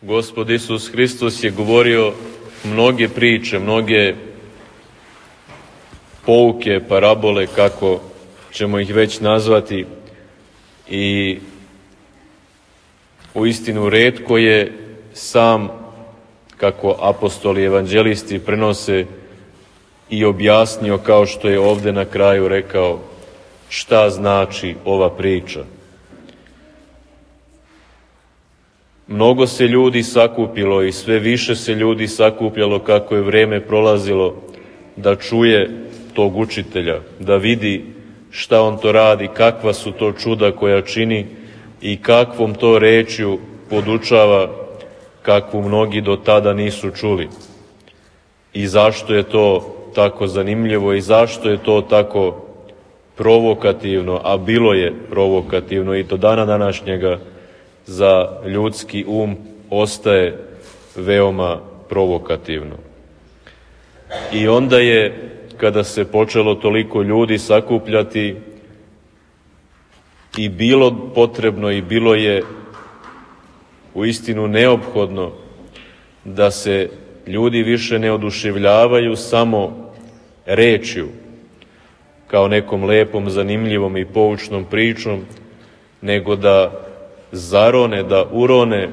Gospod Isus Hristos je govorio mnoge priče, mnoge pouke, parabole, kako ćemo ih već nazvati, i uistinu retko je sam, kako apostoli i evanđelisti prenose, i objasnio, kao što je ovde na kraju rekao, šta znači ova priča. Mnogo se ljudi sakupilo i sve više se ljudi sakupljalo kako je vreme prolazilo da čuje tog učitelja, da vidi šta on to radi, kakva su to čuda koja čini i kakvom to rečju podučava kakvu mnogi do tada nisu čuli. I zašto je to tako zanimljivo i zašto je to tako provokativno, a bilo je provokativno i do dana današnjega za ljudski um ostaje veoma provokativno. I onda je, kada se počelo toliko ljudi sakupljati, i bilo potrebno i bilo je uistinu neophodno da se ljudi više ne oduševljavaju samo rečju, kao nekom lepom, zanimljivom i poučnom pričom, nego da zarone, da urone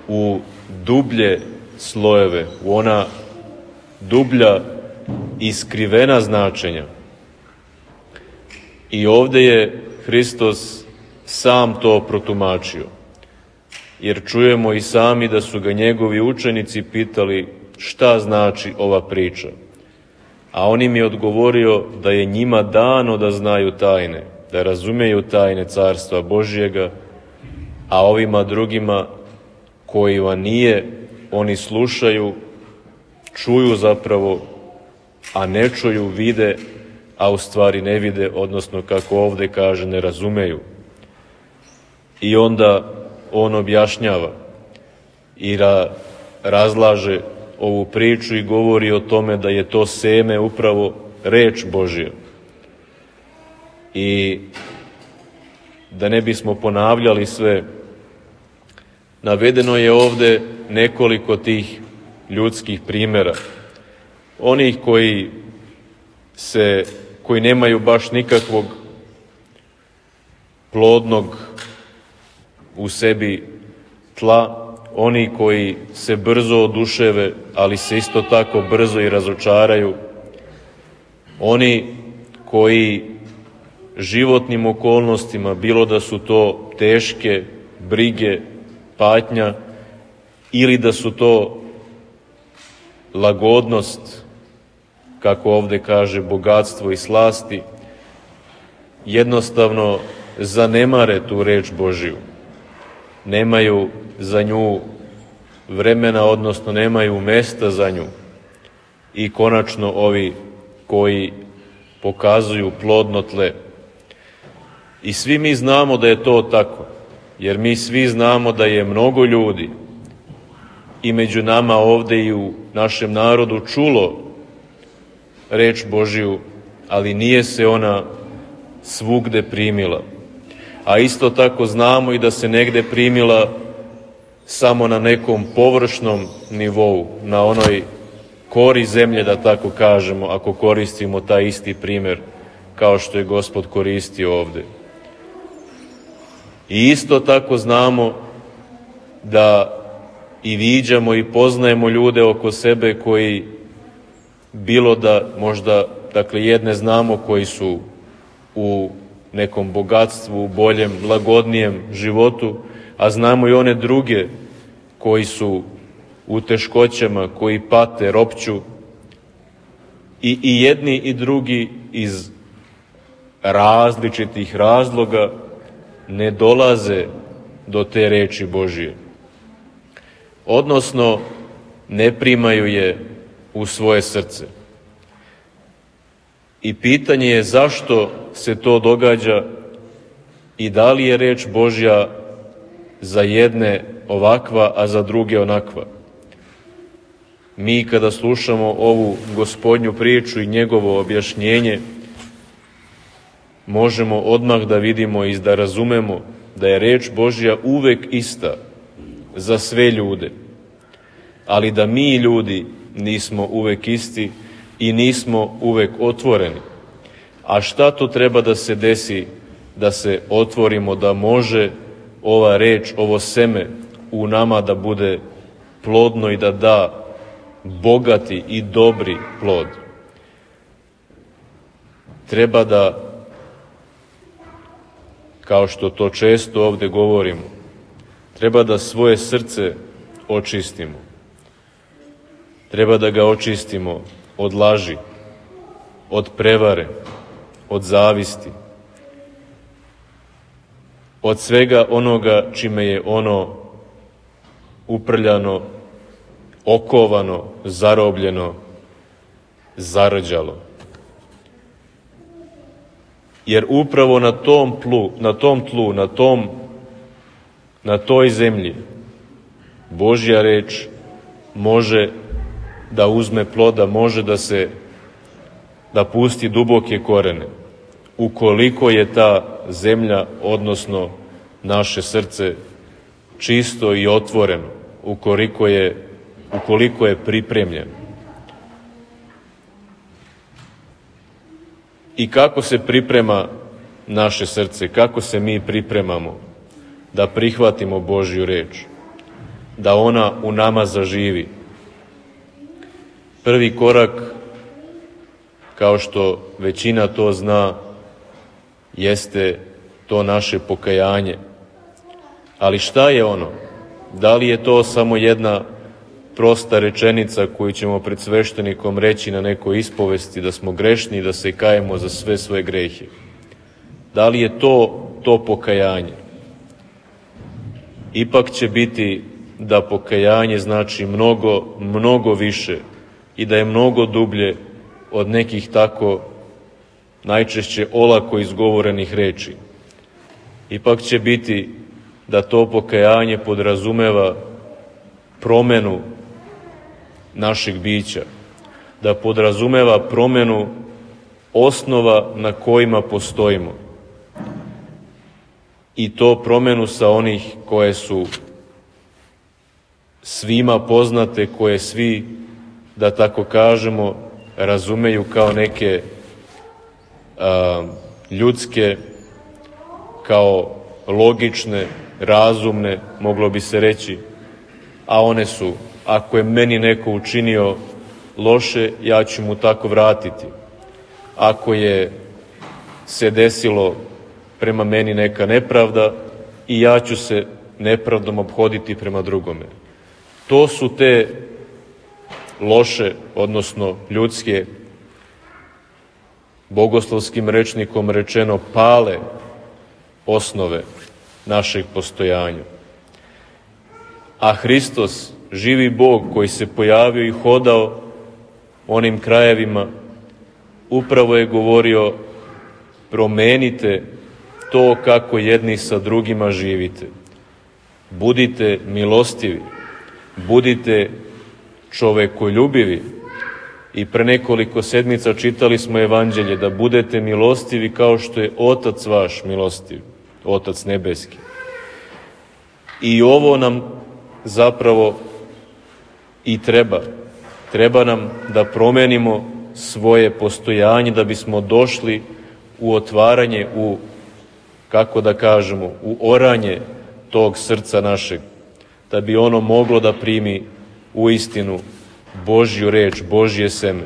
u dublje slojeve, u ona dublja i skrivena značenja. I ovde je Hristos sam to protumačio, jer čujemo i sami da su ga njegovi učenici pitali šta znači ova priča. A on im je odgovorio da je njima dano da znaju tajne, da razumeju tajne Carstva Božjega, a ovima drugima kojima nije, oni slušaju, čuju zapravo, a ne čuju, vide, a u stvari ne vide, odnosno, kako ovde kaže, ne razumeju. I onda on objašnjava i razlaže ovu priču i govori o tome da je to seme upravo reč Božja. I da ne bismo ponavljali sve, navedeno je ovde nekoliko tih ljudskih primera. Onih koji nemaju baš nikakvog plodnog u sebi tla, oni koji se brzo oduševe, ali se isto tako brzo i razočaraju, oni koji životnim okolnostima, bilo da su to teške brige, patnja, ili da su to lagodnost, kako ovde kaže, bogatstvo i slasti, jednostavno zanemare tu reč Božiju. Nemaju za nju vremena, odnosno nemaju mesta za nju. I konačno ovi koji pokazuju plodno tle. I svi mi znamo da je to tako, jer mi svi znamo da je mnogo ljudi i među nama ovde i u našem narodu čulo reč Božiju, ali nije se ona svugde primila. A isto tako znamo i da se negde primila samo na nekom površnom nivou, na onoj kori zemlje, da tako kažemo, ako koristimo taj isti primer kao što je Gospod koristio ovde. I isto tako znamo da i viđamo i poznajemo ljude oko sebe koji, bilo da možda, dakle, jedne znamo koji su u nekom bogatstvu, u boljem, lagodnijem životu, a znamo i one druge koji su u teškoćama, koji pate, ropću, i jedni i drugi iz različitih razloga ne dolaze do te reči Božije. Odnosno, ne primaju je u svoje srce. I pitanje je zašto se to događa i da li je reč Božja za jedne ovakva, a za druge onakva. Mi kada slušamo ovu Gospodnju priču i njegovo objašnjenje, možemo odmah da vidimo i da razumemo da je reč Božja uvek ista za sve ljude, ali da mi ljudi nismo uvek isti i nismo uvek otvoreni. A šta to treba da se desi da se otvorimo, da može ova reč, ovo seme u nama da bude plodno i da da bogati i dobri plod? Treba da, kao što to često ovde govorimo, treba da svoje srce očistimo. Treba da ga očistimo od laži, od prevare, od zavisti, od svega onoga čime je ono uprljano, okovano, zarobljeno, zarđalo. Jer upravo na tom tlu, na toj zemlji, Božja reč može da uzme ploda, može da pusti duboke korene, ukoliko je ta zemlja, odnosno naše srce, čisto i otvoreno, ukoliko je pripremljeno. I kako se priprema naše srce, kako se mi pripremamo da prihvatimo Božju reč, da ona u nama zaživi? Prvi korak, kao što većina to zna, jeste to naše pokajanje. Ali šta je ono? Da li je to samo jedna prosta rečenica koju ćemo pred sveštenikom reći na nekoj ispovesti, da smo grešni i da se kajemo za sve svoje grehe? Da li je to pokajanje? Ipak će biti da pokajanje znači mnogo, mnogo više i da je mnogo dublje od nekih tako najčešće olako izgovorenih reči. Ipak će biti da to pokajanje podrazumeva promenu našeg bića, da podrazumeva promenu osnova na kojima postojimo. I to promenu sa onih koje su svima poznate, koje svi, da tako kažemo, razumeju kao neke ljudske, kao logične, razumne, moglo bi se reći, a one su: ako je meni neko učinio loše, ja ću mu tako vratiti. Ako je se desilo prema meni neka nepravda, i ja ću se nepravdom ophoditi prema drugome. To su te loše, odnosno ljudske, bogoslovskim rečnikom rečeno, pale osnove našeg postojanja. A Hristos, živi Bog koji se pojavio i hodao onim krajevima, upravo je govorio: promenite to kako jedni sa drugima živite. Budite milostivi, budite čovekoljubivi. I pre nekoliko sedmica čitali smo evanđelje da budete milostivi kao što je Otac vaš milostiv, Otac nebeski. I ovo nam zapravo i treba. Treba nam da promenimo svoje postojanje da bismo došli u otvaranje, kako da kažemo, u oranje tog srca našeg, da bi ono moglo da primi u istinu Božju reč, Božje seme,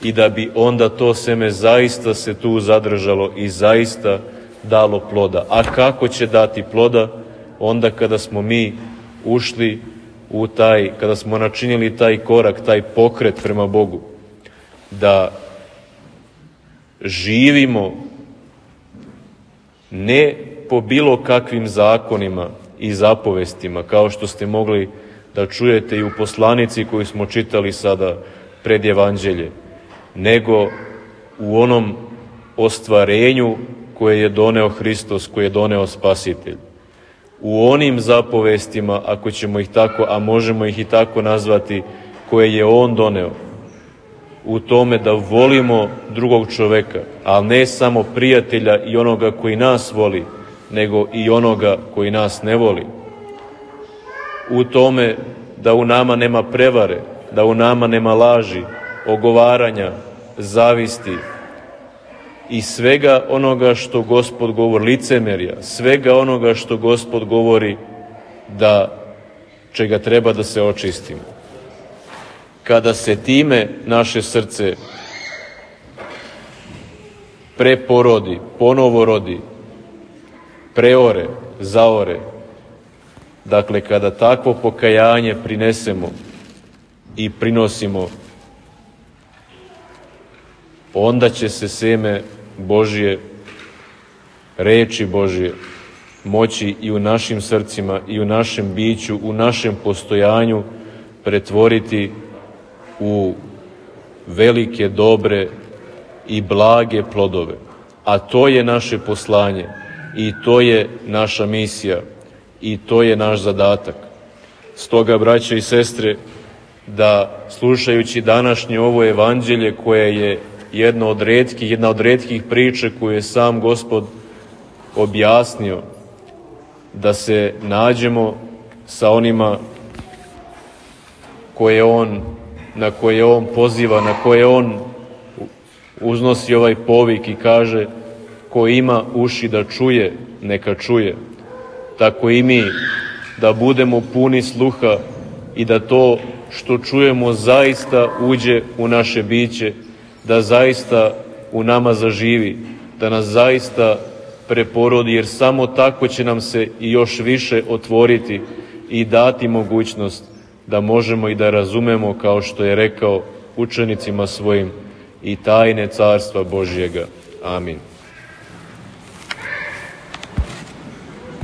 i da bi onda to seme zaista se tu zadržalo i zaista dalo ploda. A kako će dati ploda? Onda kada smo mi ušli kada smo načinili taj korak, taj pokret prema Bogu, da živimo ne po bilo kakvim zakonima i zapovestima, kao što ste mogli da čujete i u poslanici koju smo čitali sada pred evanđelje, nego u onom ostvarenju koje je doneo Hristos, koje je doneo Spasitelj. U onim zapovestima, ako ćemo ih tako, a možemo ih i tako nazvati, koje je On doneo. U tome da volimo drugog čoveka, ali ne samo prijatelja i onoga koji nas voli, nego i onoga koji nas ne voli. u tome da u nama nema prevare, da u nama nema laži, ogovaranja, zavisti i svega onoga što Gospod govori, licemerja, svega onoga što Gospod govori da čega treba da se očistimo. Kada se time naše srce preporodi, ponovo rodi, preore, zaore, dakle kada takvo pokajanje prinesemo i prinosimo, onda će se seme Božje, reči Božje, moći i u našim srcima i u našem biću, u našem postojanju pretvoriti u velike, dobre i blage plodove. A to je naše poslanje i to je naša misija i to je naš zadatak. Stoga, braće i sestre, da slušajući današnje ovo evanđelje koje je jedna od retkih priča koju je sam Gospod objasnio, da se nađemo sa onima na koje on poziva, na koje on uznosi ovaj povik i kaže: ko ima uši da čuje, neka čuje. Tako i mi da budemo puni sluha i da to što čujemo zaista uđe u naše biće, da zaista u nama zaživi, da nas zaista preporodi, jer samo tako će nam se i još više otvoriti i dati mogućnost da možemo i da razumemo, kao što je rekao učenicima svojim, i tajne Carstva Božjega. Amin.